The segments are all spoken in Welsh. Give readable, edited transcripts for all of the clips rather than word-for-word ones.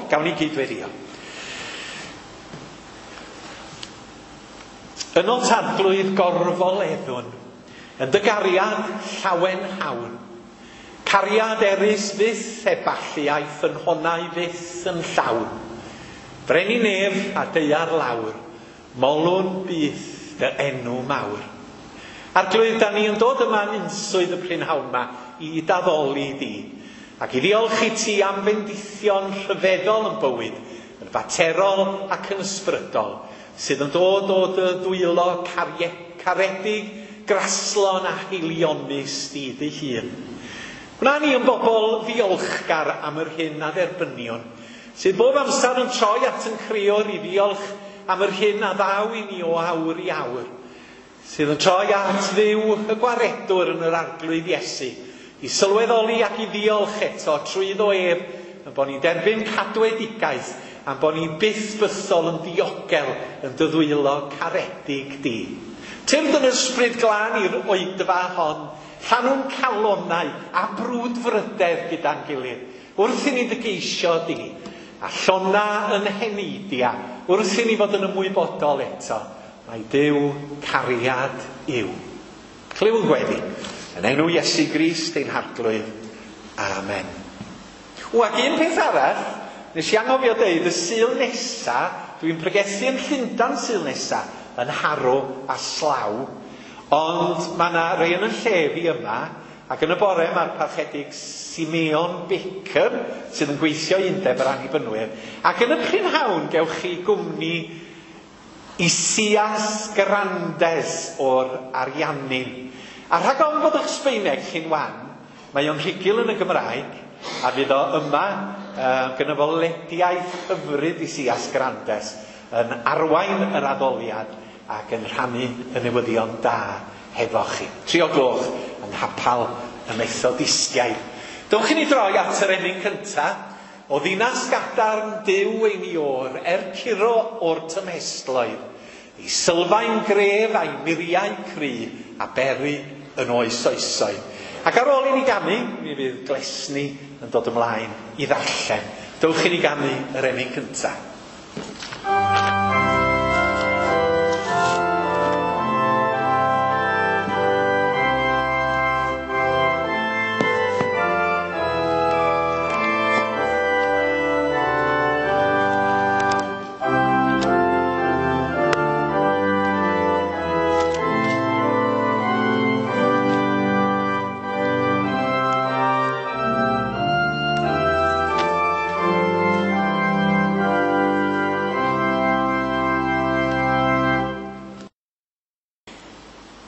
Gawn ni gydweddio. Yno tadglwydd gorfoleddwn, yn dy gariad llawen hawn. Cariad erys fyth eballu a'i ffynhonnau fyth yn llawn. Brenin nef a daear lawr, molwn byth dy enw mawr. Arglwydd, da ni yn dod yma yn unswydd y prynhawn yma i daddoli di, ac i ddiolch i ti am fendithion rhyfeddol yn bywyd, yn faterol ac yn ysbrydol, sydd yn dod o dy ddwylo caredig, graslon a haelionus di dy hun. Gwna ni yn bobl ddiolchgar am yr hyn a dderbynion, sydd bob amser yn troi at yn creor i ddiolch am yr hyn a ddaw i ni o awr i awr, sydd yn troi at Dduw y gwaredwr yn yr Arglwydd Iesu, i sylweddoli ac i ddiolch eto trwyddo ef, yn bod ni'n derbyn cadwedigaeth, a'n bod ni'n byth bythol yn ddiogel yn dy ddwylo caredig di. Tyrd yn ysbryd glân i'r oedfa hon, llanw'n calonnau a brwdfrydedd gyda'n gilydd, wrth i ni dy geisio di, a llona yn heneidia, wrth i ni fod yn ymwybodol eto, mae Duw cariad yw. Clywn gweddi, yn enw Iesu Grist ein Harglwydd. Amen. O, ac un peth arall, nes i anghofio deud, y Sul nesa, dwi'n pregethu yn Llundain Sul nesa, yn Harrow a Slough, ond mae yna rei yn y lle fi yma, ac yn y bore mae'r parchedig Simeon Baker, sydd yn gweithio i Undeb yr Annibynwyr, ac yn y prynhawn gewch chi gwmni Isias Grandes o'r Ariannin. A rhag ofn bod eich Sbaeneg chi'n wan, mae o'n rhugl yn y Gymraeg, a fydd o yma, gyda fo lediaeth hyfryd Isias Grandes, yn arwain yr addoliad ac yn rhannu y newyddion da hefo chi. 3 o'r gloch yng Nghapel y Methodistiaid. Dewch i ni droi at yr emyn cynta, o ddinas gadarn Duw ein Iôr, er curo o'r tymhestloedd, ei sylfaen gref a'i muriau cry a beru yn oes oesoedd. Ac ar ôl i ni ganu, mi fydd Glesni yn dod ymlaen i ddarllen. Dewch i ni ganu yr emyn cynta.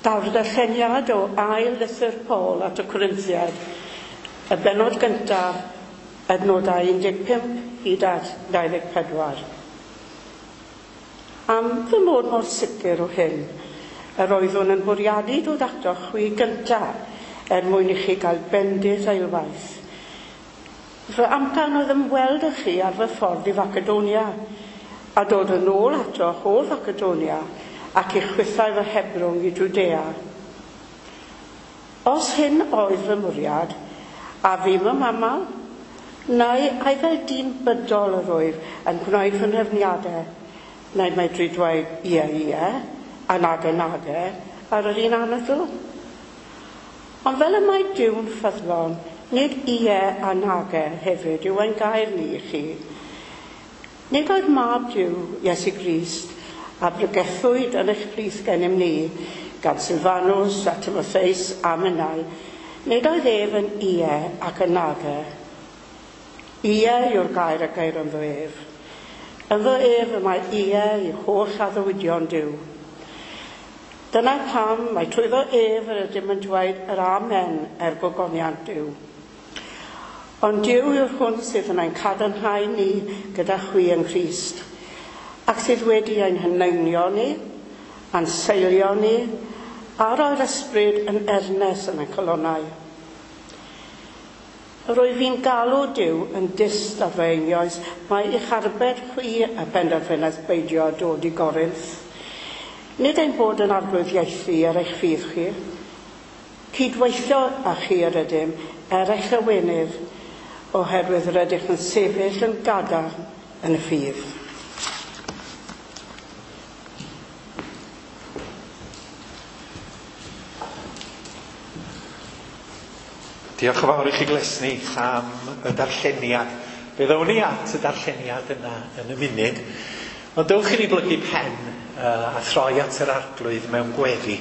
Daw'r darlleniad o ail lythyr Paul at y Corinthiaid, y bennod gyntaf, adnodau 15 hyd at 24. Am fy mod mor sicr o hyn, yr oeddwn yn bwriadu dod atoch chwi gyntaf er mwyn i chi gael bendith eilwaith. Fy amcan oedd ymweld â chi ar fy ffordd i Facedonia, a dod yn ôl atoch o Facedonia, ac i chwythau fy hebrwng i Jwdea. Os hyn oedd fy mwriad, a fi fy mamal, neu ai fel dyn bydol yr wyf yn gwneud fy nhrefniadau, neu medru dweud ie, ie, a nage, nage, ar yr un anadl. Ond fel y mae Duw'n ffyddlon, nid ie a nage hefyd yw ein gair ni i chi. Nid oedd mab Duw, Iesu Grist, a bregethwyd yn eich plith gennym ni, gan Silfanus a Timotheus a minnau, nid oedd ef yn ie ac yn nage. Ie yw'r gair a geir ynddo ef. Ynddo ef y mae ie i holl addewidion Duw. Dyna pam mae trwyddo ef yr ydym yn dweud yr amen er gogoniant Duw. Ond Duw yw'r hwn sydd yn ein cadarnhau ni gyda chwi yng Nghrist, ac sydd wedi ein heneinio ni, a'n seilio ni, a roi'r ysbryd yn ernes yn ein calonnau. Rwyf fi'n galw Duw yn dyst ar fy einioes, mae i'ch arbed chwi y penderfynaeth beidio a dod i Gorinth. Nid ein bod yn arglwyddiaethu ar eich ffydd chi. Cydweithio â chi yr ydym er eich llawenydd, oherwydd rydych yn sefyll yn gadarn yn y ffydd. Diolch yn fawr i chi Glesni am y darlleniad. Fe ddown ni at y darlleniad yna yn y munud. Ond dewch i ni blygu pen a throi at yr Arglwydd mewn gweddi.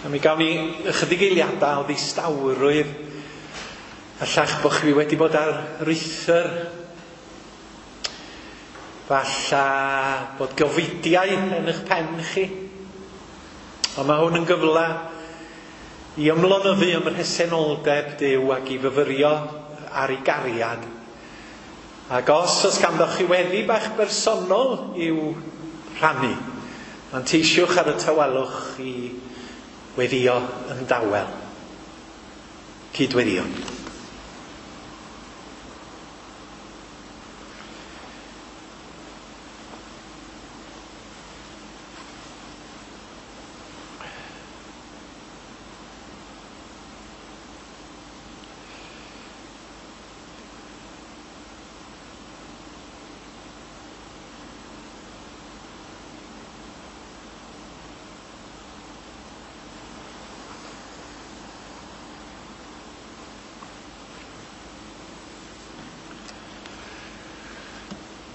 A mi gawn ni ychydig eiliadau o ddistawrwydd. Allach bod chi wedi bod ar ruthr. Falla bod gofidiau yn eich pen chi. Ond mae hwn yn gyfle i ymlonyddu ym mhresenoldeb Duw ac i fyfyrio ar ei gariad. Ac os oes ganddoch chi weddi bach bersonol i'w rhannu, manteisiwch ar y tawelwch i weddïo yn dawel. Cydweddïo.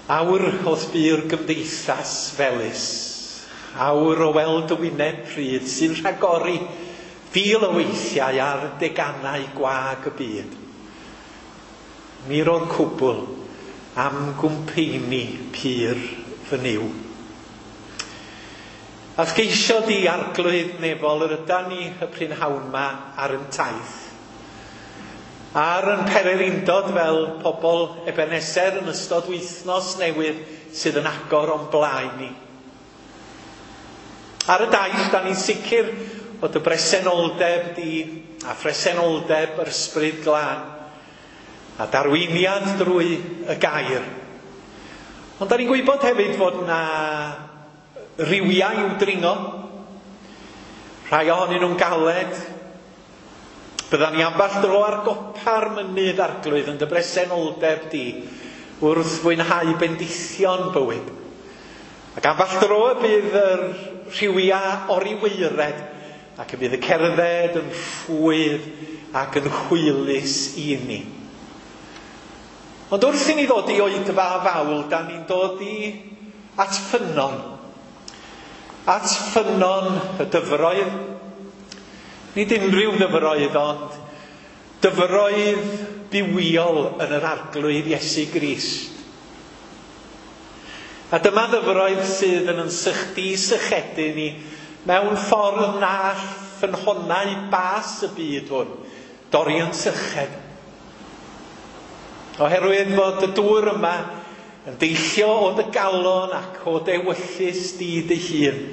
Awr o'th bu'r gymdeithas felys, awr o weld y wyneb pryd sy'n rhagori fil o weithiau ar deganau gwag y byd. Mi ro'r cwbl am gwmpeini pur fy Nuw. A'th geisio di Arglwydd nefol yr ydan ni y prynhawn ma ar yn taith. Ar yn pererindod fel pobl Ebenezer yn ystod wythnos newydd sydd yn agor o'n blaen ni. Ar y daith, da ni'n sicr bod y bresenoldeb di a phresenoldeb yr Ysbryd Glân a darweiniad drwy y gair. Ond da ni'n gwybod hefyd fod na rywiau i'w dringo, rhai ohonyn nhw'n galed. Byddan ni ambell dro ar gopa'r mynydd Arglwydd yn dy bresenoldeb di wrth fwynhau bendithion bywyd. Ac ambell dro y bydd yr rhywiau oriweired ac y bydd y cerdded yn rhwydd ac yn hwylus i ni. Ond wrth i ni ddod i oedfa fawl, da ni'n dod i at ffynnon. At ffynnon y dyfroedd. Nid unrhyw ddyfroedd, ond dyfroedd bywiol yn yr Arglwydd Iesu Grist. A dyma ddyfroedd sydd yn sychdu sychedu ni mewn ffordd na all ffynhonnau bas y byd hwn dorri yn syched. Oherwydd fod y dŵr yma yn deillio o dy galon ac o dy ewyllys di dy hun,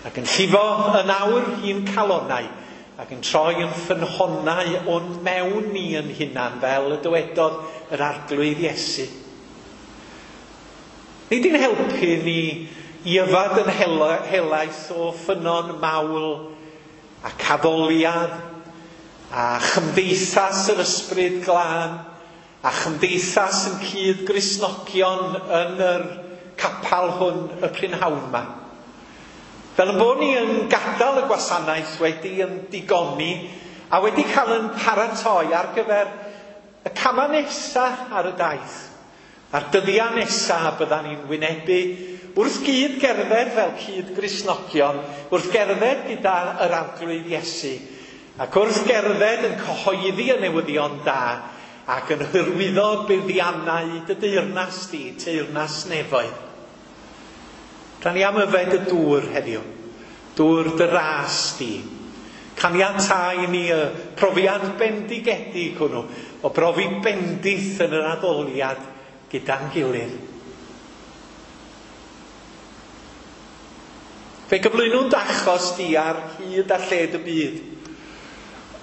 ac yn llifo yn awr i'n calonnau, ac yn troi yn ffynhonnau o'n mewn ni yn hunan, fel y dywedodd yr Arglwydd Iesu. Nid i'n helpu ni i yfad yn helaeth o ffynnon mawl ac addoliad a chymdeithas yr Ysbryd Glân a chymdeithas yn cyd Gristnogion yn yr capal hwn y prynhawn yma. Fel yn bod ni yn gadael y gwasanaeth wedi yn digoni a wedi cael yn paratoi ar gyfer y camau nesaf ar y daith. A'r dyddiau nesaf byddan ni'n wynebu wrth gyd gerdded fel cyd Gristnogion, wrth gerdded gyda yr Arglwydd Iesu, ac wrth gerdded yn cyhoeddi y newyddion da ac yn hyrwyddo buddiannau dy deyrnas di, teyrnas nefoedd. Da ni am yfed y dŵr heddiw, dŵr dy ras di. Caniatáu ni y profiad bendigedig hwnnw, o brofi bendith yn yr addoliad gyda'n gilydd. Fe gyflwynwn d'achos di ar hyd a lled y byd.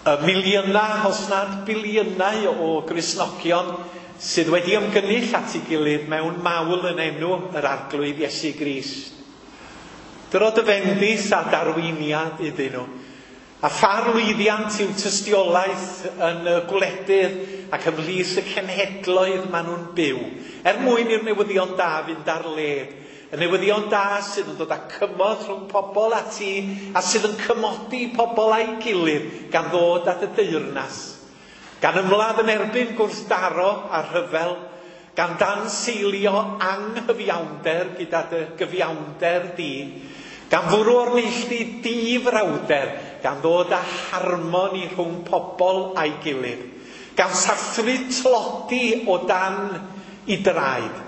Y miliynau, os nad biliynau o Gristnogion sydd wedi ymgynnull at ei gilydd mewn mawl yn enw yr Arglwydd Iesu Grist. Dyro dy fendith a darweiniad iddyn nhw. A pha lwyddiant yw tystiolaeth yn y gwledydd ac ymhlith y cenhedloedd maen nhw'n byw, er mwyn i'r newyddion da fynd ar led. Y newyddion da sydd yn dod â cymod rhwng pobl a ti, a sydd yn cymodi pobl a'i gilydd gan ddod at y deyrnas. Gan ymladd yn erbyn gwrthdaro a rhyfel, gan danseilio anghyfiawnder gyda dy gyfiawnder di, gan fwrw o'r neilltu difrawder, gan ddod â harmoni rhwng pobl a'i gilydd, gan sathru tlodi o dan i draed,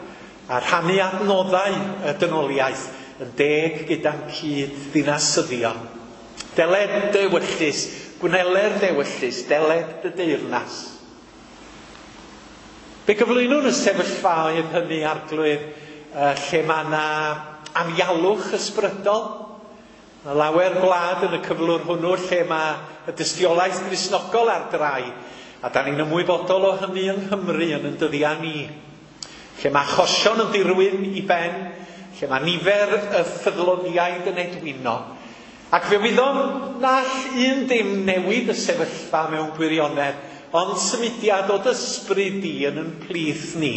a rhannu adnoddau y dynoliaeth yn deg gyda'n cyd ddinasyddion. Deled dy ewyllys, gwneler dy ewyllys, deled dy deyrnas. Fe gyflwynwn y sefyllfaoedd hynny, Arglwydd, lle mae yna anialwch ysbrydol. Mae lawer gwlad yn y cyflwr hwnnw lle mae y dystiolaeth Gristnogol ar drai, a da ni'n ymwybodol o hynny yng Nghymru yn yn dyddiau ni. Lle mae achosion yn dirwyn i ben, lle mae nifer y ffyddloniaid yn edwino. Ac fe wyddom na all un dim newid y sefyllfa mewn gwirionedd, ond symudiad o ysbryd di yn yn plith ni.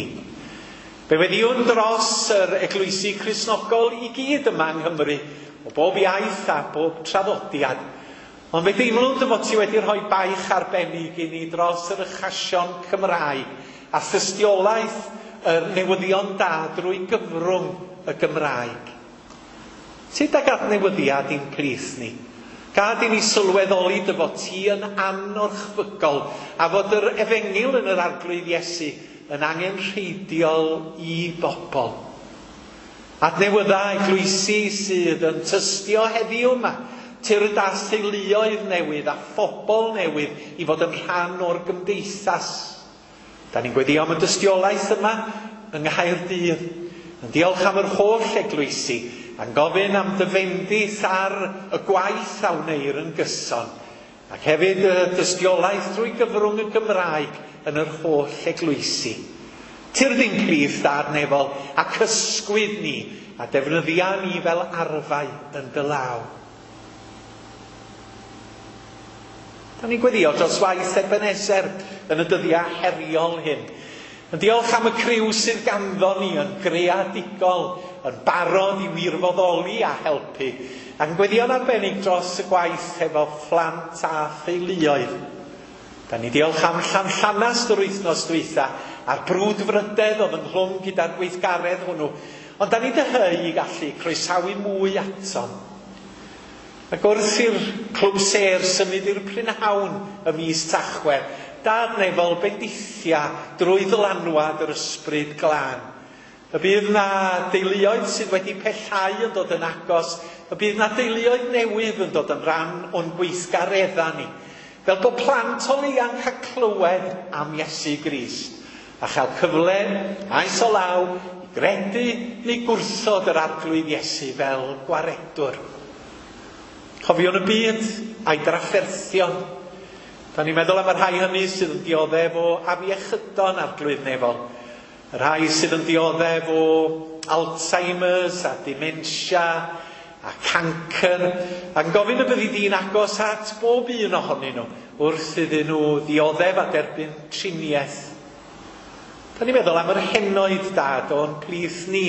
Fe weddïwn dros yr eglwysi Cristnogol i gyd yma yng Nghymru, o bob iaith a bob traddodiad. Ond fe deimlwn dy fod ti wedi rhoi baich arbennig i ni dros yr achosion Cymraeg a thystiolaeth yr newyddion da drwy gyfrwng y Gymraeg. Sut ag adnewyddiad i'n plith ni? Gad i ni sylweddoli dy fod ti yn anorchfygol a fod yr efengyl yn yr Arglwydd Iesu yn angenrheidiol i bobl. Adnewydda eglwysi sydd yn tystio heddiw yma, tyrd â theuluoedd newydd a phobl newydd i fod yn rhan o'r gymdeithas. Da ni'n gweddio am y dystiolaeth yma yng Nghaerdydd, yn diolch am yr holl eglwysi, a'n gofyn am dy fendith ar y gwaith a wneir yn gyson, ac hefyd y dystiolaeth drwy gyfrwng y Gymraeg yn yr holl eglwysi. Tyrd i'n plith Dad nefol a cysgwyd ni a defnyddia ni fel arfau yn dy law. Da ni'n gweddio dros waith Ebenezer yn y dyddiau heriol hyn. Yn diolch am y criw sydd ganddo ni yn greadigol, yn barod i wirfoddoli a helpu, a'n gweddio'n arbennig dros y gwaith efo phlant a theuluoedd. Da ni diolch am Llanllanast yr wythnos dwytha a'r brwdfrydedd oedd ynghlwm gyda'r gweithgaredd hwnnw, ond da ni dyheu i gallu croesawu mwy atom. Ac wrth i'r clwb sêr symud i'r prynhawn y mis Tachwedd, Dad nefol bendithia drwy ddylanwad yr ysbryd glân. Y bydd na deuluoedd sydd wedi pellhau yn dod yn agos, y bydd na deuluoedd newydd yn dod yn rhan o'n gweithgaredda ni. Fel bod plant o leia'n cael clywed am Iesu Grist, a chael cyfle, maes o law, i gredu neu gwrthod yr Arglwydd Iesu fel gwaredwr. Cofiwn y byd a'i drafferthion. Da ni'n meddwl am y rhai hynny sydd yn dioddef o afiechydon Arglwydd nefol. Y rhai sydd yn dioddef o Alzheimer's a dementia a cancer. A'n gofyn y byddi di'n agos at bob un ohonyn nhw wrth iddyn nhw ddioddef a derbyn triniaeth. Da ni'n meddwl am yr henoed Dad o'n plith ni,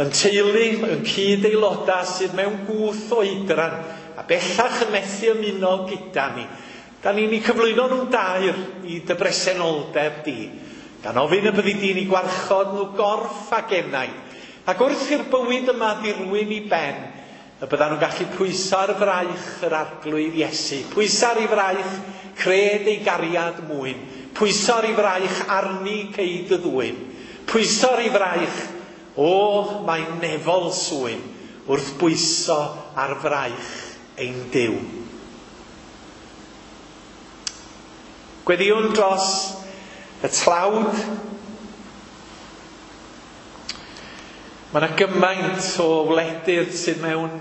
yn teulu, yn cyd-aelodau sydd mewn gwth oedran a bellach yn methu ymuno gyda ni. Da ni'n eu cyflwyno nhw'n dair i dy bresenoldeb di, gan ofyn y byddi di'n eu gwarchod nhw gorff a genau, ac wrth i'r bywyd yma ddirwyn i ben, y byddan nhw'n gallu pwyso ar fraich yr Arglwydd Iesu, pwyso ar ei fraich cred ei gariad mwyn, pwyso ar ei fraich arni ceid y ddwyn, pwyso ar ei fraich, o, mae nefol swyn, wrth bwyso ar fraich ein Duw. Gweddïwn dros y tlawd. Mae yna gymaint o wledydd sydd mewn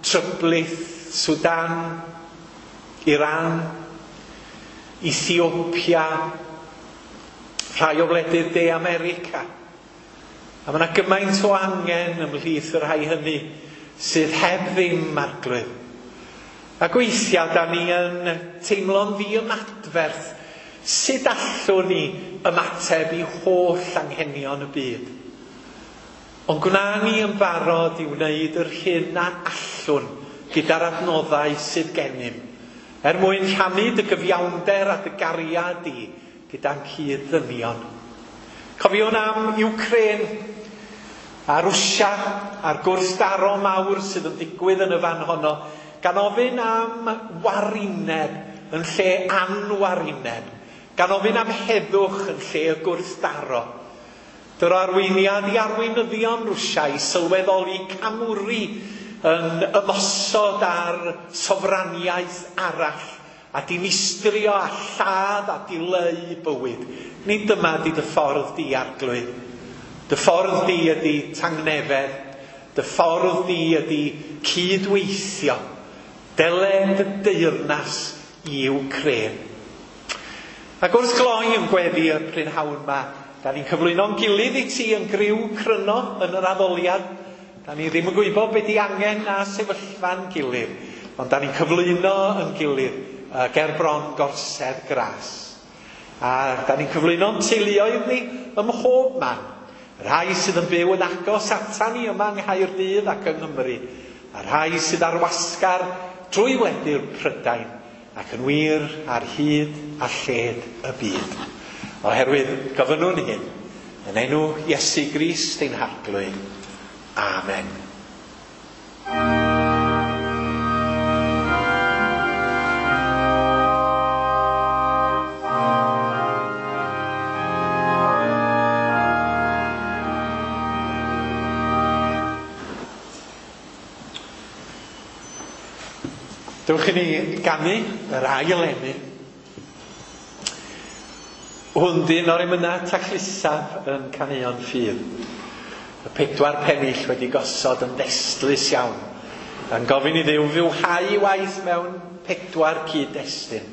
tryblith, Sudan, Iran, Ethiopia, rhai o wledydd De America. A mae yna gymaint o angen ymhlith y rhai hynny sydd heb ddim Arglwydd. Ac weithiau da ni yn teimlo'n ddiymadferth Sut allwn ni ymateb i holl anghenion y byd? Ond gwna ni yn barod i wneud yr hyn a allwn gyda'r adnoddau sydd gennym, er mwyn rhannu dy gyfiawnder a dy gariad di gyda'n cyd-ddynion. Cofiwn am Ukraine a Rwsia a'r gwrthdaro mawr sydd yn digwydd yn y fan honno, gan ofyn am warineb yn lle anwarineb, gan ofyn am heddwch yn lle y gwrthdaro. Dyro arweiniad i arweinyddion Rwsia i sylweddoli camwri yn ymosod ar sofraniaeth arall a dinistrio a lladd a dileu bywyd. Nid dyma di dy ffordd di, Arglwydd. Dy ffordd di ydy tangnefedd. Dy ffordd di ydy cydweithio. Dele dy deyrnas i Wcrên. Ac wrth gloi yn gweddi y prynhawn yma, da ni'n cyflwyno'n gilydd i ti yn griw cryno yn yr addoliad. Da ni ddim yn gwybod be di angen na sefyllfa'n gilydd, ond da ni'n cyflwyno yn gilydd ger bron gorsedd gras. A da ni'n cyflwyno'n teuluoedd ni ym mhob man. Rhai sydd yn byw yn agos ata ni yma yng Nghaerdydd ac yng Nghymru, a rhai sydd ar wasgar drwy wledydd Prydain, ac yn wir ar hyd a lled y byd. Oherwydd gofynnwn hyn, yn enw Iesu Grist ein Harglwydd. Amen. Dewch i ni ganu yr ail emyn. Hwn 'di un o'r emynau taclusaf yn Caneuon Ffydd. Y 4 pennill wedi gosod yn ddestlus iawn, yn gofyn i Dduw fywhau ei waith mewn 4 cyd-destun.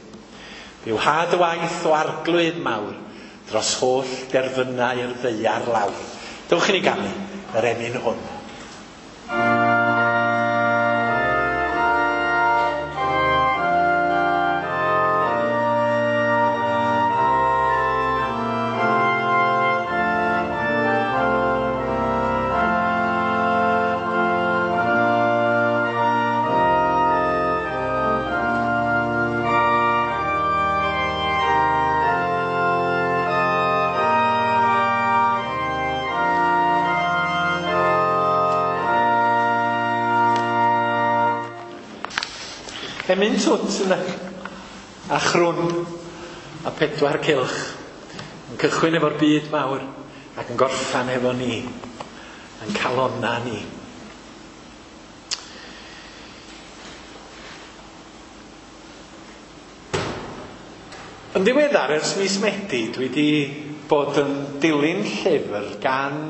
Fywhad y waith o Arglwydd mawr dros holl derfynau'r ddaear lawr. Dewch i ni ganu yr emyn hwn. Emyn twt yna, a chrwn, a 4 cylch, yn cychwyn efo'r byd mawr ac yn gorffan efo ni, yn calonna ni. Yn ddiweddar, ers mis Medi, dwi wedi bod yn dilyn llyfr gan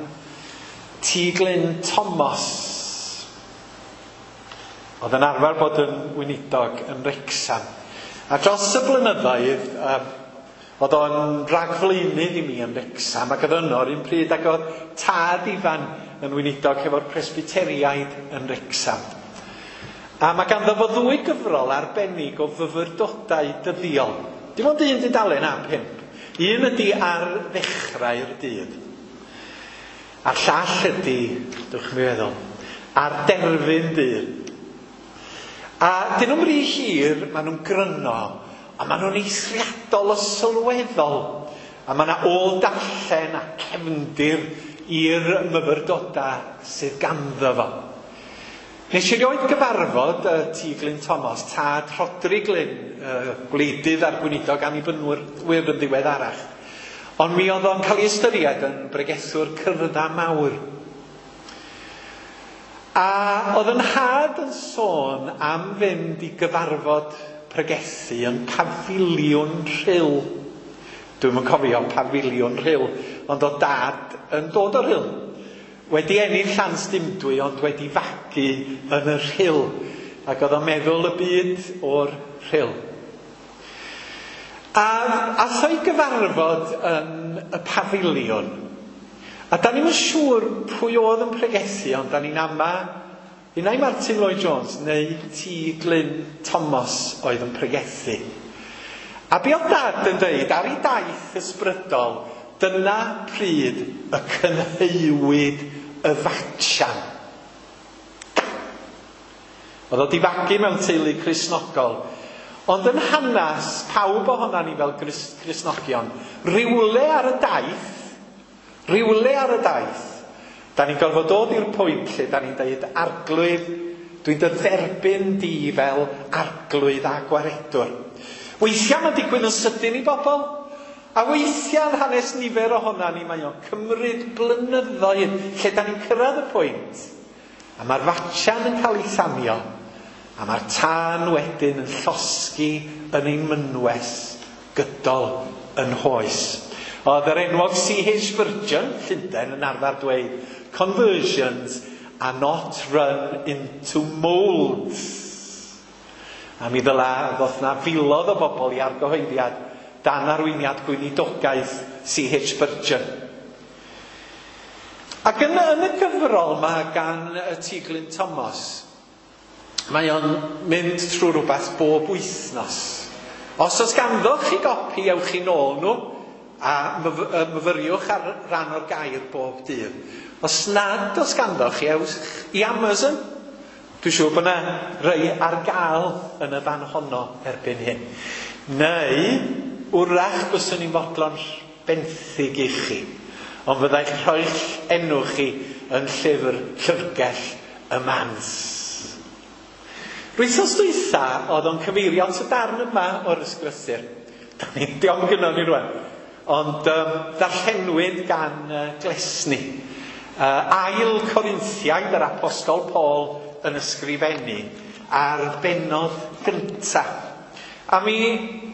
T. Glyn Thomas. Oedd yn arfer bod yn weinidog yn Wrecsam. A dros y blynyddoedd, oedd o'n ragflaenydd i mi yn Wrecsam, ac oedd yno yr un pryd ac oedd tad Ifan yn weinidog hefo'r Presbyteriaid yn Wrecsam. A mae ganddo fo 2 gyfrol arbennig o fyfyrdodau dyddiol. Dim ond un dudalen a 5. Un ydy ar ddechrau'r dydd. A'r llall ydy, dwch mi feddwl, ar derfyn dydd. A dyn nhw'n rhy hir, maen nhw'n gryno, a maen nhw'n eithriadol o sylweddol. A mae yna ôl darllen a cefndir i'r myfyrdodau sydd ganddo fo. Nes i erioed gyfarfod T. Glyn Thomas, tad Rhodri Glyn, gwleidydd a'r gweinidog Annibynwyr yn ddiweddarach. Ond mi oedd o'n cael ei ystyried yn bregethwr cyrddau mawr. A oedd yn nhad yn sôn am fynd i gyfarfod pregethu yn Pafiliwn Rhyl. Dwi'm yn cofio Pafiliwn Rhyl, ond oedd dad yn dod o'r Rhyl. Wedi ennill Llanstymdwy, ond wedi fagu yn y Rhyl. Ac oedd o'n meddwl y byd o'r Rhyl. A ath o'i gyfarfod yn y pafiliwn. A da ni'm yn siŵr pwy oedd yn pregethu, ond da ni'n ama unai Martin Lloyd Jones neu T. Glyn Thomas oedd yn pregethu. A be oedd Dad yn dweud ar ei daith ysbrydol, dyna pryd y cynheuwyd y fatsian. Oedd o 'di fagu mewn teulu Cristnogol, ond yn hanes pawb ohonan ni fel Cristnogion, rywle ar y daith, rywle ar y daith, da ni'n gorfod dod i'r pwynt lle da ni'n dweud, Arglwydd, dwi'n dy dderbyn di fel Arglwydd a Gwaredwr. Weithiau mae'n digwydd yn sydyn i bobl, a weithiau yn hanes nifer ohonan ni mae o'n cymryd blynyddoedd lle da ni'n cyrraedd y pwynt. A mae'r fatsian yn cael ei thanio, a mae'r tân wedyn yn llosgi yn ein mynwes gydol yn hoes. Oedd yr enwog C.H. Spurgeon, Llundain, yn arfer dweud, "Conversions are not run into moulds." A mi ddyla ddoth na filoedd o bobl i argyhoeddiad dan arweiniad gweinidogaeth C.H. Spurgeon. Ac yn y gyfrol mae gan y T. Glyn Thomas, mae o'n mynd trwy rhywbeth bob wythnos. Os oes ganddo chi gopi, ewch chi nôl nhw a myfyriwch ar ran o'r gair bob dydd. Os nad oes ganddo chi, ewch i Amazon. Dwi'n siŵr bod yna rei ar gael yn y fan honno erbyn hyn. Neu, wrach byswn i'n fodlon benthyg i chi. Ond fyddai'ch rhoi'ch enw chi yn llyfr llyfrgell y Mans. Wythnos dwytha oedd o'n cyfeirio at y darn yma o'r ysgrythur. Da ni, diolch gynnon ni rwan. Ond darllenwyd gan Glesni. Ail Corinthiaid yr Apostol Paul yn ysgrifennu ar bennod gynta. A mi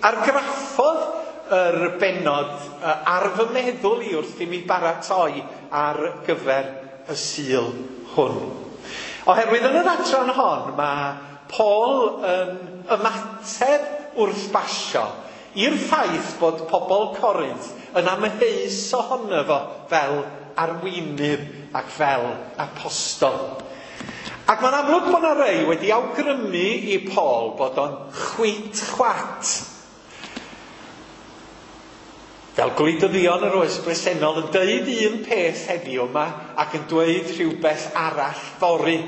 argraffodd yr bennod ar fy meddwl i wrth i mi baratoi ar gyfer y Sul hwn. Oherwydd yn yr adran hon mae Paul yn ymateb wrth basio i'r ffaith bod pobl Corinth yn amheus ohono fo fel arweinydd ac fel apostol. Ac mae'n amlwg bod yna rei wedi awgrymu i Paul bod o'n chwit chwat. Fel gwleidyddion yr oes bresennol yn dweud un peth heddiw yma ac yn dweud rhywbeth arall fory.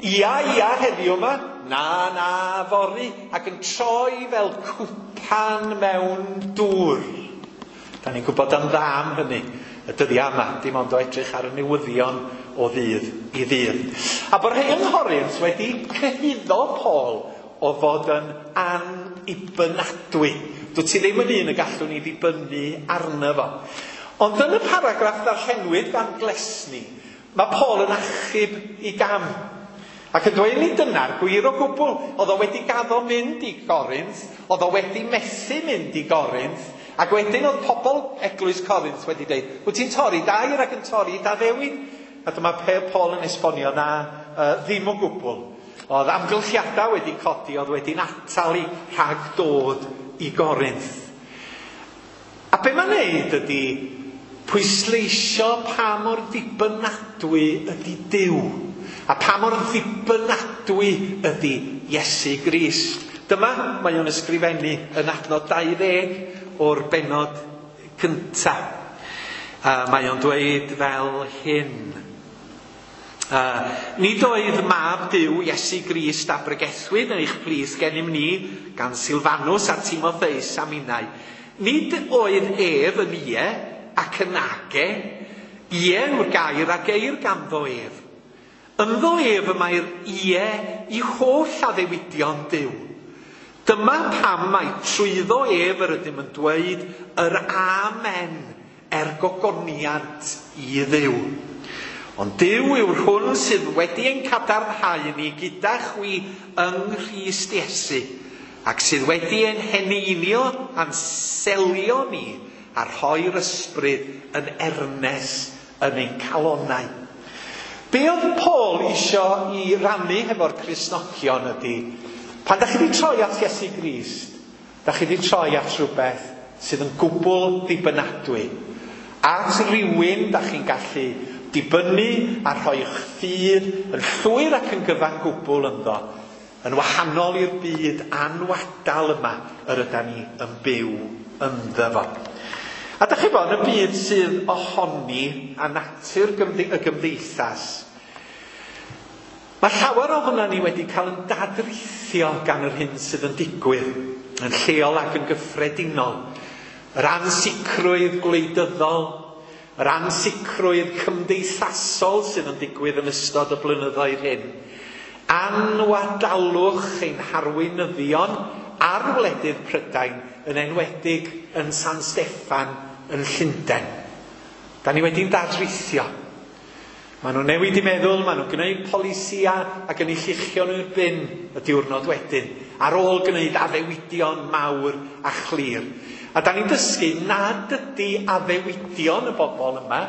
Ia, ia heddiw yma, na, na fory, ac yn troi fel cwpan mewn dŵr. Da ni'n gwybod am dda am hynny y dyddiau yma, dim ond o edrych ar y newyddion o ddydd i ddydd. A bod rhai yng Nghorinth wedi cyhuddo Paul o fod yn annibynadwy. Dwyt ti ddim yn un y gallwn ni ddibynnu arno fo. Ond yn y paragraff ddarllenwyd gan Glesni, mae Paul yn achub i gam. Ac yn dweud ni dyna'r gwir o gwbl. Oedd o wedi gaddo mynd i Gorinth, oedd o wedi methu mynd i Gorinth, ac wedyn oedd pobl eglwys Corinth wedi dweud, wyt ti'n torri dair ac yn torri d'addewid? A dyma Paul yn esbonio na ddim o gwbl. Oedd amgylchiadau wedi codi, oedd wedi'n atal i rhag dod i Gorinth. A be mae'n neud ydy pwysleisio pa mor ddibynadwy ydy Duw. A pa mor ddibynadwy ydy Iesu Grist. Dyma mae o'n ysgrifennu yn adnod 20 o'r bennod cynta. Mae o'n dweud fel hyn. Nid oedd mab Duw Iesu Grist a bregethwyd yn eich plith gennym ni gan Silfanus a Timotheus a minnau. Nid oedd ef yn ie ac yn age. Ie yw'r gair a geir ganddo ef. Ynddo ef y mae'r ie i holl addewidion Duw. Dyma pam mai trwyddo ef yr ydym yn dweud yr amen er gogoniant i Dduw. Ond Duw yw'r hwn sydd wedi ein cadarnhau ni gyda chwi yng Nghrist Iesu, ac sydd wedi ein heneinio a'n selio ni a rhoi'r ysbryd yn ernes yn ein calonnau. Be oedd Paul isio i rannu hefo'r Cristnogion ydy, pan da chi wedi troi at Iesu Grist, da chi wedi troi at rhywbeth sydd yn gwbl ddibynadwy. At rywun da chi'n gallu dibynnu a rhoi'ch ffydd yn llwyr ac yn gyfan gwbl ynddo. Yn wahanol i'r byd anwadal yma yr ydan ni yn byw ynddo fo. A dach chi bod, yn y byd sydd ohoni a natur y gymdeithas, mae llawer ohono ni wedi cael yn dadrithio gan yr hyn sydd yn digwydd, yn lleol ac yn gyffredinol. Yr ansicrwydd gwleidyddol, yr ansicrwydd cymdeithasol sydd yn digwydd yn ystod y blynyddoedd hyn. Anwadalwch ein harweinyddion ar wledydd Prydain, yn enwedig yn San Steffan yn Llundain. Da ni wedi'n dadrithio. Maen nhw'n newid i meddwl, maen nhw'n gwneud polisia ac yn eu lluchio nhw i'r bin y diwrnod wedyn, ar ôl gwneud addewidion mawr a chlir. A da ni'n dysgu nad ydy addewidion y bobl yma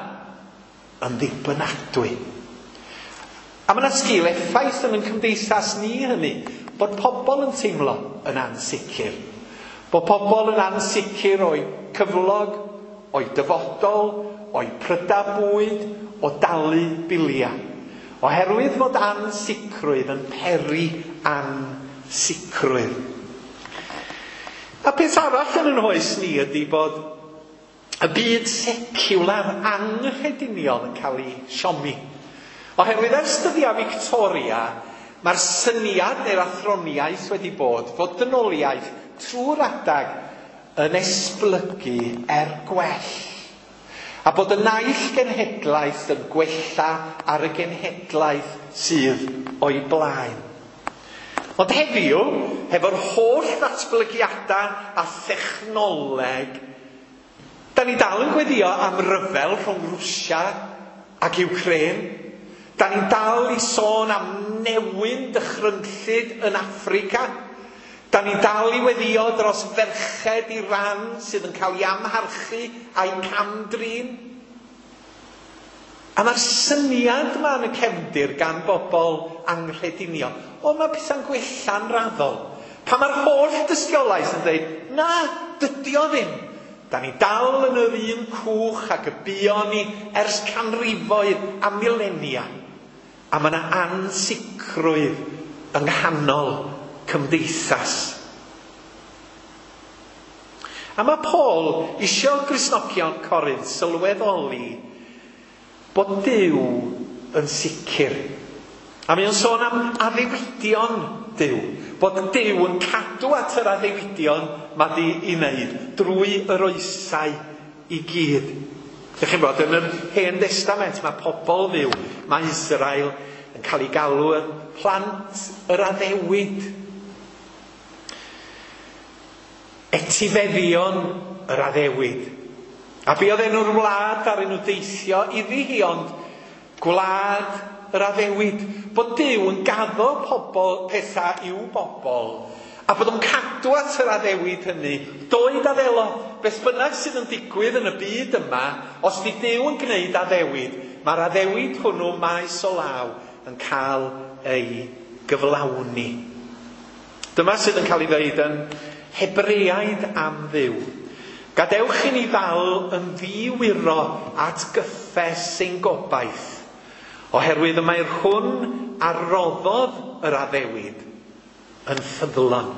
yn ddibynadwy. A mae yna sgil effaith yn ein cymdeithas ni hynny, bod pobl yn teimlo yn ansicr. Bod pobl yn ansicr o'u cyflog, o'u dyfodol, o'u prydau bwyd, o dalu biliau. Oherwydd fod ansicrwydd yn peri ansicrwydd. A peth arall yn ein hoes ni ydy bod y byd seciwlar anghrediniol yn cael ei siomi. Oherwydd ers dyddiau Victoria, mae'r syniad neu'r athroniaeth wedi bod fod dynoliaeth trwy'r adag yn esblygu er gwell. A bod y naill genhedlaeth yn gwella ar y genhedlaeth sydd o'i blaen. Ond heddiw, hefo'r holl ddatblygiadau a thechnoleg, da ni dal yn gweddio am ryfel rhwng Rwsia ac Ukraine. Da ni'n dal i sôn am newyn dychrynllyd yn Affrica. Da ni'n dal i weddio dros ferched Iran sydd yn cael ei amharchu a'i camdrin. A mae'r syniad yma yn y cefndir gan bobl anghrediniol. O, mae pethau'n gwella'n raddol. Pan mae'r holl dystiolaeth yn dweud, na, dydy o ddim. Da ni dal yn yr un cwch ac y buon ni ers canrifoedd a milenia. A mae yna ansicrwydd yng nghanol cymdeithas. A mae Paul isio Gristnogion Corinth sylweddoli bod Duw yn sicr. A mae o'n sôn am addewidion Duw. Bod Duw yn cadw at yr addewidion mae di i wneud drwy yr oesau i gyd. Dych chi'n bod, yn yr Hen Destament mae pobl fyw, mae Israel yn cael ei galw yn plant yr addewid. Etifeddion yr addewid. A be oedd enw'r wlad ar enw deithio iddi hi, ond gwlad yr addewid. Bod Duw yn gaddo pobl pethau i'w bobl, a bod o'n cadw at yr addewid hynny, doed a ddelo, beth bynnag sydd yn digwydd yn y byd yma, os di Duw yn gwneud addewid, mae'r addewid hwnnw maes o law yn cael ei gyflawni. Dyma sydd yn cael ei ddeud yn Hebreaid am Dduw. Gadewch i ni ddal yn ddiwyro at gyffes ein gobaith, oherwydd y mae'r hwn a roddodd yr addewid yn ffyddlon.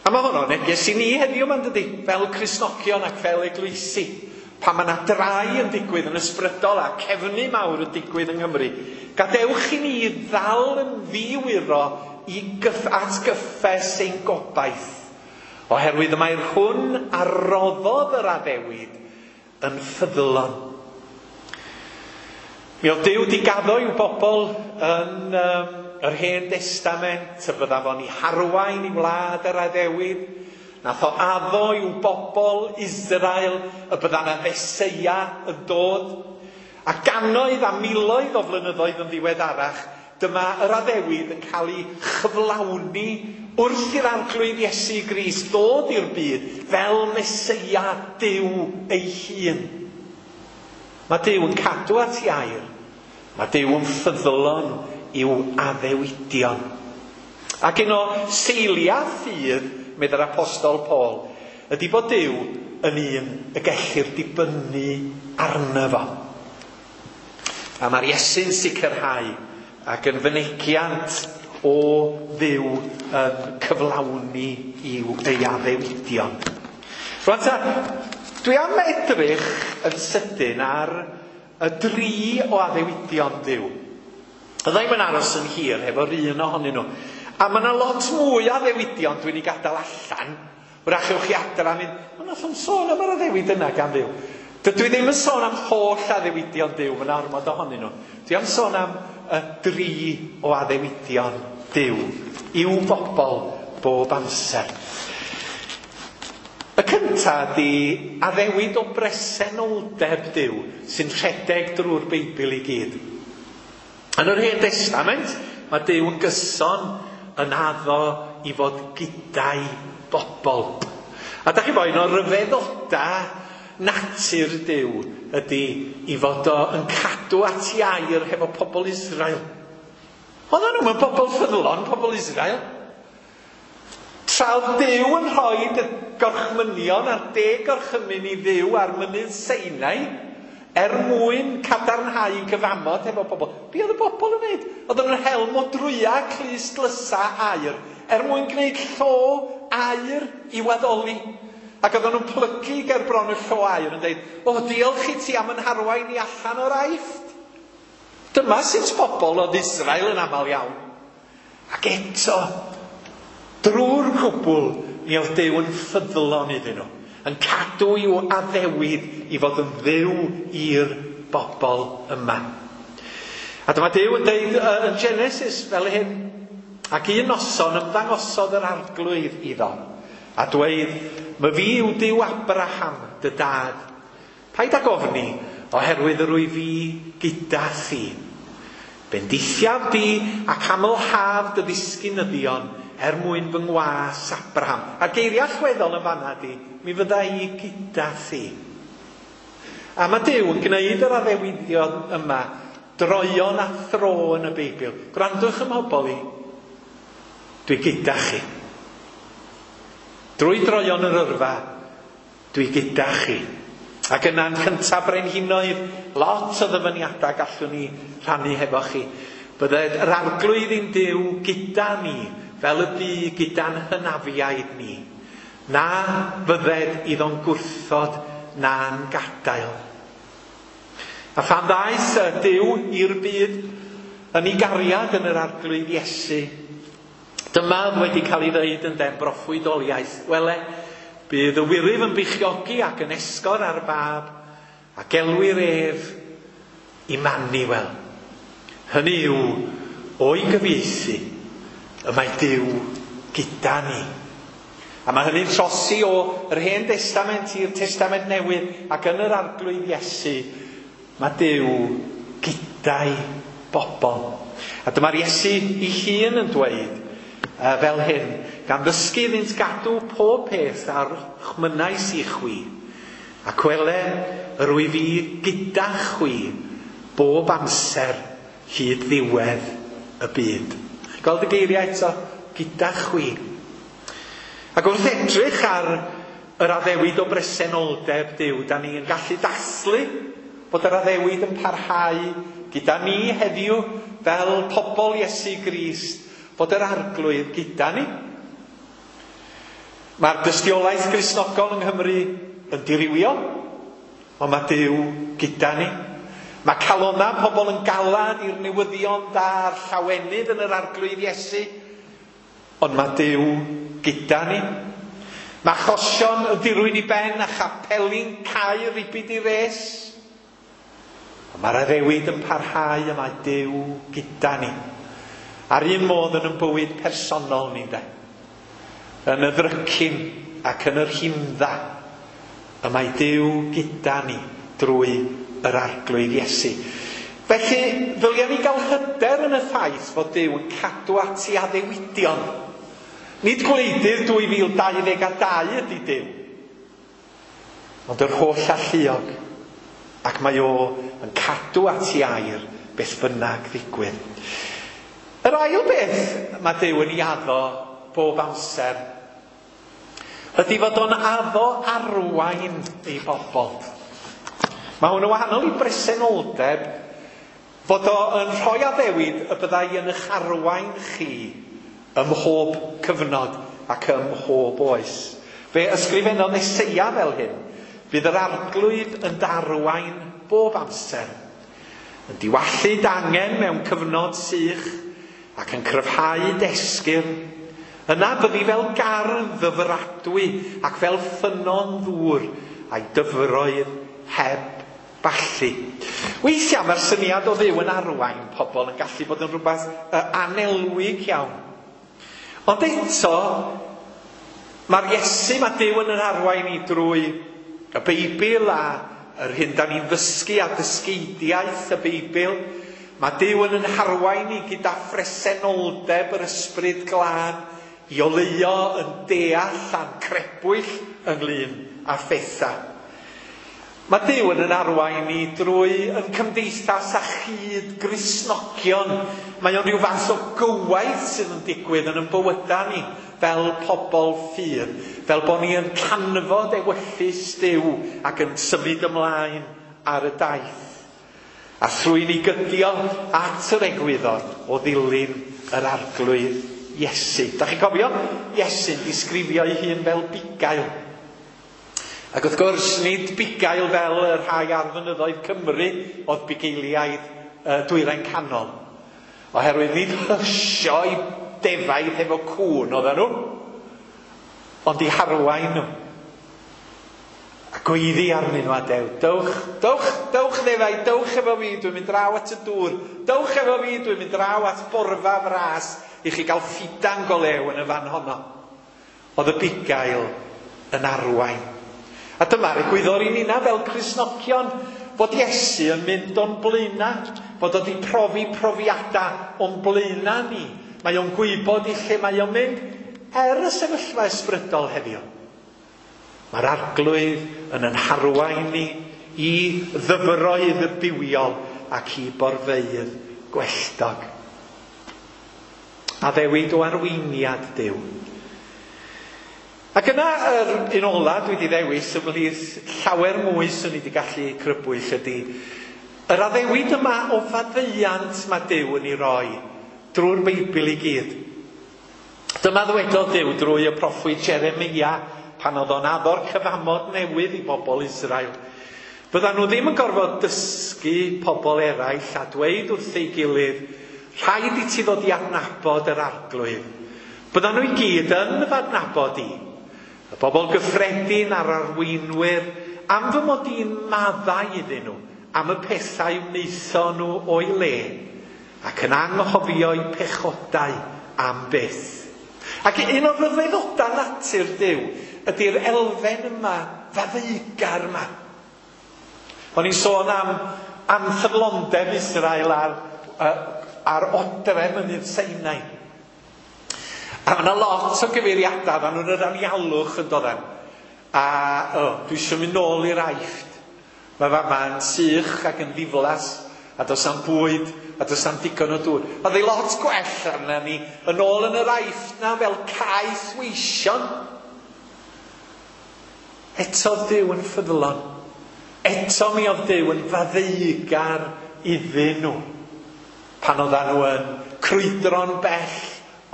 A mae honno'n neges i ni heddiw ma'n dydi, fel Cristnogion ac fel eglwysi. Pan mae yna drai yn digwydd yn ysbrydol a cefnu mawr yn digwydd yng Nghymru, gadewch i ni ddal yn ddiwyro i at gyffes ein gobaith. Oherwydd y mae'r hwn a roddodd yr addewid yn ffyddlon. Mi oedd Duw di gaddo i'w bobl yn yr Hen Destament, y bydda fo'n ei harwain i wlad yr addewid. Nath o addo i'w bobl Israel y bydda 'na Feseia yn dod. A gannoedd a miloedd o flynyddoedd yn ddiweddarach, dyma yr addewid yn cael ei chyflawni wrth i'r Arglwydd Iesu Grist ddod i'r byd fel Meseia Duw ei hun. Mae Duw yn cadw at ei air. Mae Duw yn ffyddlon i'w addewidion. Ac un o seiliau ffydd, meddai'r Apostol Paul, ydy bod Duw yn un y gellir dibynnu arno fo. A mae'r Iesu'n sicrhau ac yn fynegiant o Dduw yn cyflawni i'w ei addewidion. Rwan ta, dwi am edrych yn sydyn ar y dri o addewidion Duw. Fydda i'm yn aros yn hir hefo'r un ohonyn nhw. A mae yna lot mwy o addewidion dwi'n ei gadael allan. Wrach ewch chi adra a mynd, o nath o'm sôn am yr addewid yna gan Dduw. Dydw i ddim yn sôn am holl addewidion Duw, mae yna ormod ohonyn nhw. Dwi am sôn am y dri o addewidion Duw i'w bobl bob amser. Y cynta ydi addewid o bresenoldeb Duw sy'n rhedeg drwy'r Beibl i gyd. Yn yr Hen Destament, mae Duw yn gyson yn addo i fod gyda'i bobl. A da chi bo, un o ryfeddoda natur Duw ydy i fod o yn cadw at ei air hefo pobl Israel. Oedden nhw'n bobl ffyddlon, pobl Israel. Tra oedd Duw yn rhoi y gorchmynion a'r 10 gorchymyn i Dduw ar mynydd Sinai er mwyn cadarnhau cyfamod hefo pobl. Be oedd y bobl yn wneud? Oedden nhw'n hel modrwya clust dlysa aur er mwyn gwneud llo aur i waddoli. Ac oedden nhw'n plygu ger bron y llo aur yn dweud, o, diolch i ti am yn harwain i allan o'r Aifft. Dyma sut bobl oedd Israel yn aml iawn. Ac eto, drwy'r cwbl, mi oedd Duw yn ffyddlon iddyn nhw, yn cadw i'w addewid i fod yn Dduw i'r bobl yma. A dyma Duw yn deud yn Genesis fel hyn, ac un noson ymddangosodd yr Arglwydd iddo, a dweud, my fi yw Duw Abraham, dy dad. Paid ag ofni, oherwydd yr wyf fi gyda thi. Bendithiaf di ac amlhaf dy ddisgynyddion er mwyn fy ngwas Abraham. A'r geiriau allweddol yn fanna di, mi fydda i gyda thi. A mae Duw yn gwneud yr addewidion yma droion a thro yn y Beibl. Gwrandwch ym mhobl i, dwi gyda chi. Drwy droion yr yrfa, dwi gyda chi. Ac yna'n cyntaf brenhinoedd, lot o ddyfyniadau gallwn ni rhannu hefo chi. Bydded yr Arglwydd ein Duw gyda ni, fel y bu gyda'n hynafiaid ni. Na fydded iddo'n gwrthod na'n gadael. A phan ddaeth Duw i'r byd yn ei gariad yn yr Arglwydd Iesu, dyma oedd wedi cael ei ddeud yn den broffwydoliaeth. Wele, bydd y wyryf yn beichiogi ac yn esgor ar bab, a gelwir ef Immanuel. Hynny yw, o'i gyfieithu, y mae Duw gyda ni. A mae hynny'n trosi o yr Hen Destament i'r Testament Newydd, ac yn yr Arglwydd Iesu, mae Duw gyda'i bobl. A dyma'r Iesu ei hun yn dweud fel hyn, gan ddysgu iddynt gadw pob peth ar chmynais i chwi, ac wele yr wyf fi gyda chwi bob amser hyd ddiwedd y byd. Chi'n gweld y geiriau eto? Gyda chwi. Ac wrth edrych ar yr addewid o bresenoldeb Duw, da ni yn gallu dathlu bod yr addewid yn parhau gyda ni heddiw fel pobl Iesu Grist, bod yr Arglwydd gyda ni. Mae'r dystiolaeth Gristnogol yng Nghymru yn dirywio, ond mae Duw gyda ni. Mae calonnau pobl yn galad i'r newyddion da'r llawenydd yn yr Arglwydd Iesu, ond mae Duw gyda ni. Mae achosion yn dirwyn i ben a chapeli'n cau ribid i res. Ond mae'r addewid yn parhau a mae Duw gyda ni. A'r un modd yn ein bywyd personol ni, de. Yn y ddrycin ac yn yr himdda, y mae Duw gyda ni drwy yr Arglwydd Iesu. Felly, ddylia ni gael hyder yn y ffaith fod Duw yn cadw at ei addewidion. Nid gwleidydd 2022 ydy Duw, ond yr holl alluog, ac mae o yn cadw at ei air beth bynnag ddigwydd. Yr ail beth mae Duw yn ei addo bob amser ydy fod o'n addo arwain ei bobl. Mae hwn yn wahanol i bresenoldeb. Fod o yn rhoi addewid y byddai yn eich arwain chi ym mhob cyfnod ac ym mhob oes. Fe ysgrifennodd Eseia fel hyn: "Bydd yr Arglwydd yn darwain bob amser, yn diwallu d'angen mewn cyfnod sych ac yn cryfhau d'esgyrn. Yna byddi fel gardd ddyfradwy ac fel ffynnon ddŵr a'i dyfroedd heb ballu." Weithiau mae'r syniad o Dduw yn arwain pobl yn gallu bod yn rhywbeth anelwig iawn. Ond eto, mae'r Iesu, mae Duw yn arwain ni drwy y Beibl a yr hyn da ni'n ddysgu a dysgeidiaeth y Beibl. Mae Duw yn harwain ni gyda phresenoldeb yr Ysbryd Glân i oleuo yn deall a'n crebwyll ynglyn â phethau. Mae Duw yn arwain ni drwy yn cymdeithas a chyd Gristnogion. Mae o'n rhyw fath o gywaith sydd yn digwydd yn ein bywydau ni fel pobl ffydd, fel bod ni yn canfod ewyllys Duw ac yn symud ymlaen ar y daith. A thrwy ni gydio at yr egwyddor o ddilyn yr Arglwydd Iesu. Da chi'n cofio? Iesu'n disgrifio ei hun fel bugail. Ac wrth gwrs, nid bugail fel y rhai ar fynyddoedd Cymru oedd bugeiliaid Dwyrain Canol. Oherwydd nid hysio i defaid hefo cŵn oedden nhw, ond i harwain nhw. A gweiddi arnyn nhw a dew, dewch, dewch, dewch ddefaid, dewch efo fi, dwi'n mynd draw at y dŵr. Dewch efo fi, dwi'n mynd draw at borfa fras i chi gael ffidan go lew yn y fan honno. Oedd y bugail yn arwain. A dyma'r egwyddor i nina fel Cristnogion, bod Iesu yn mynd o'n blaena, bod o wedi profi profiadau o'n blaena ni. Mae o'n gwybod i lle mae o'n mynd er y sefyllfa ysbrydol heddiw. Mae'r Arglwydd yn ein harwain ni i ddyfroedd y bywiol ac i borfeydd gwelltog. Addewid o arweiniad Duw. Ac yna yr un ola dwi wedi ddewis ymhlith llawer mwy swn i wedi gallu crybwyll ydy yr addewid yma o faddeuant mae Duw yn ei roi drwy'r Beibl i gyd. Dyma ddwedodd Duw drwy y proffwyd Jeremia pan oedd o'n addo'r cyfamod newydd i bobl Israel. Byddan nhw ddim yn gorfod dysgu pobl eraill a dweud wrth ei gilydd, rhaid i ti ddod i adnabod yr Arglwydd. Byddan nhw i gyd yn fy adnabod i. Y bobl gyffredin a'r arweinwyr, am fy mod i'n maddau iddyn nhw, am y pethau wnaethon nhw o'i le, ac yn anghofio'u pechodau am byth. Ac un o'r rhyfeddodau natur Duw ydy'r elfen yma, faddeugar yma. O'n i'n sôn am anffyddlondeb Israel ar odre mynydd Sinai. A mae yna lot o gyfeiriadau fan nhw'n yr anialwch yn dod. A dwi eisiau mynd nôl i'r Aifft. Mae fama'n sych ac yn ddiflas, a does am bwyd, a does am digon o dŵr. Oedd ei lot gwell arna ni yn ôl yn yr Aifft na fel caeth weision. Eto Duw yn ffyddlon. Eto mi oedd Duw yn faddeugar iddyn nhw. Pan oedden nhw yn crwydro'n bell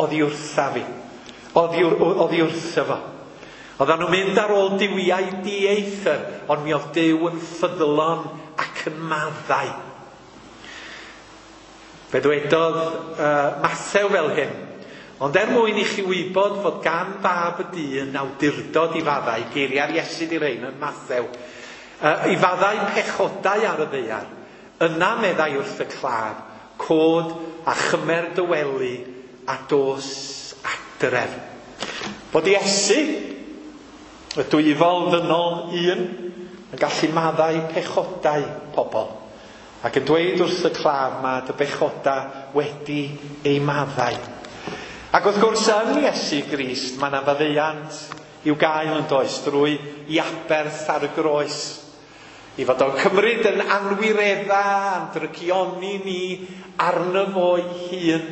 oddi wrtha fi. Oddi wrtho fo. Oedden nhw'n mynd ar ôl duwiau dieithr, ond mi oedd Duw yn ffyddlon ac yn maddau. Fe ddwedodd Mathew fel hyn: ond er mwyn i chi wybod fod gan Fab y Dyn awdurdod i faddau, geiriau'r Iesu 'di rhein yn Mathew, i faddau pechodau ar y ddaear, yna meddai wrth y claf, cod a chymer dy wely a dos adref. Bod Iesu, y dwyfol ddynol un, yn gallu maddau pechodau pobl, ac yn dweud wrth y claf mae dy bechodau wedi ei maddau. Ac wrth gwrs yn Iesu Grist mae yna faddeuant i'w gael yn does drwy i aberth ar y groes. I fod o'n cymryd yn anwiredda, yn drygioni ni arno fo'i hun,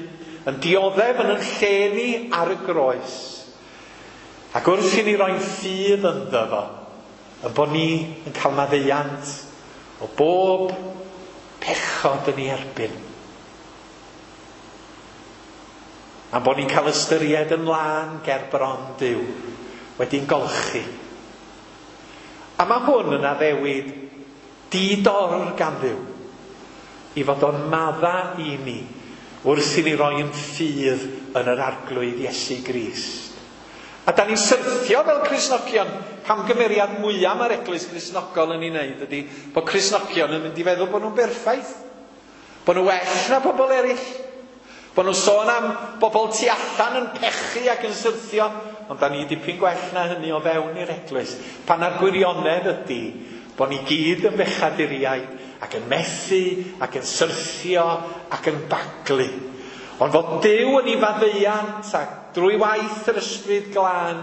yn dioddef yn yn lle ni ar y groes. Ac wrth i ni roi'n ffydd ynddo fo, y bod ni yn cael maddeuant o bob pechod yn ei erbyn. Am bod ni'n cael ystyried yn lân ger bron Duw, wedi'n golchi. A mae hwn yn addewid di-dor gan Dduw, i fod o'n madda i ni wrth i ni roi yn ffydd yn yr Arglwydd Iesu Grist. A da ni'n syrthio fel Cristnogion. Camgymeriad mwyaf mae'r Eglwys Gristnogol yn ei wneud ydy bod Cristnogion yn mynd i feddwl bod nhw'n berffaith, bod nhw well na pobl eraill, bod nhw'n sôn am bobl tu allan yn pechu ac yn syrthio, ond da ni dipyn gwell na hynny o fewn i'r Eglwys. Pan a'r gwirionedd ydy bod ni gyd yn bechaduriaid ac yn methu ac yn syrthio ac yn baglu. Ond fod Duw yn ei faddeuant ac drwy waith yr Ysbryd Glân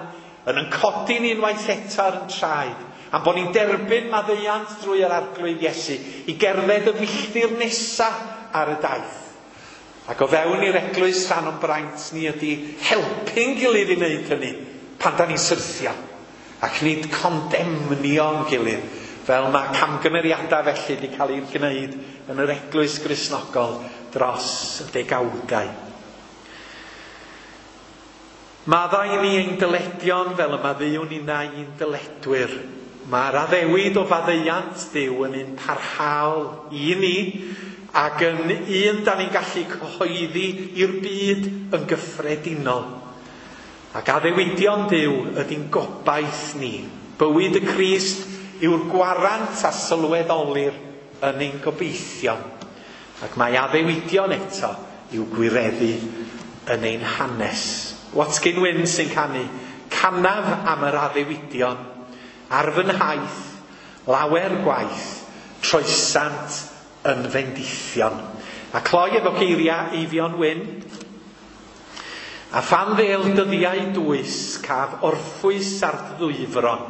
yn codi ni unwaith eto ar yn traed, am bod ni'n derbyn maddeuant drwy yr Arglwydd Iesu i gerdded y filltir nesa ar y daith. Ac o fewn i'r Eglwys rhan o'n braint ni ydy helpu'n gilydd i wneud hynny pan da ni'n syrthio, ac nid condemnio'n gilydd, fel mae camgymeriadau felly wedi cael eu gwneud yn yr Eglwys Gristnogol dros y degawdau. Maddau ni ein dyledion fel y maddeuwn ninnau i'n dyledwyr. Mae'r addewid o faddeuant Duw yn un parhaol i ni ac yn un da ni'n gallu cyhoeddi i'r byd yn gyffredinol. Ac addewidion Duw ydy'n gobaith ni. Bywyd y Crist yw'r gwarant a sylweddolir yn ein gobeithion. Ac mae addewidion eto i'w gwireddu yn ein hanes. Watkin Wyn sy'n canu, canaf am yr addewidion, ar fy nhaith, lawer gwaith, troesant yn fendithion. A cloi efo geiriau Eifion Wyn, a phan ddêl dyddiau dwys, caf orffwys ar ddwyfron,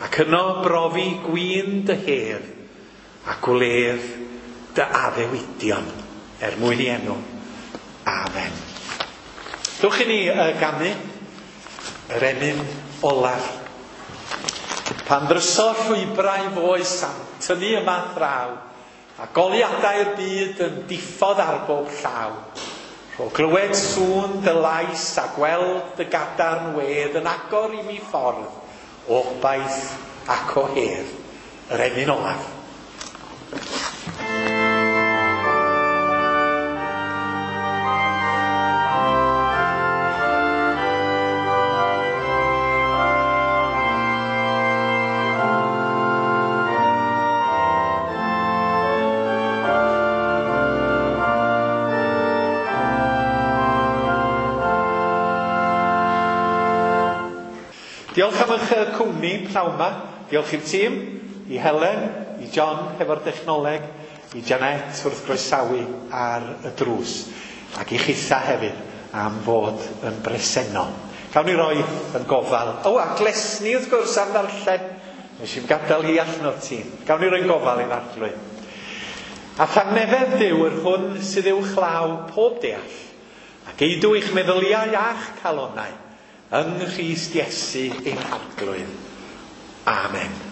ac yno brofi gwin dy hedd, a gwledd dy addewidion, er mwyn i enw. Amen. Dewch i ni ganu yr emyn olaf. Pan ddryso llwybrau foes am tynnu yma draw, a goliadau'r byd yn diffodd ar bob llaw. Rho glywed sŵn dy lais a gweld dy gadarn wedd yn agor i mi ffordd o obaith ac o hedd. Yr emyn olaf. Diolch am eich cwmni pnawn 'ma. Diolch i'r tîm, i Helen, i John hefo'r dechnoleg, i Janet wrth groesawu ar y drws, ac i chitha hefyd am fod yn bresennol. Cawn ni roi yn gofal. O, a Glesni wrth gwrs am ddarllen. Nes i'm gadael hi allan o'r tîm. Gawn ni roi'n gofal i'r Arglwydd. A thangnefedd Duw yr hwn sydd uwchlaw pob deall, ac eidw eich meddyliau a'ch calonnau, yng Nghrist Iesu ein Harglwydd. Amen.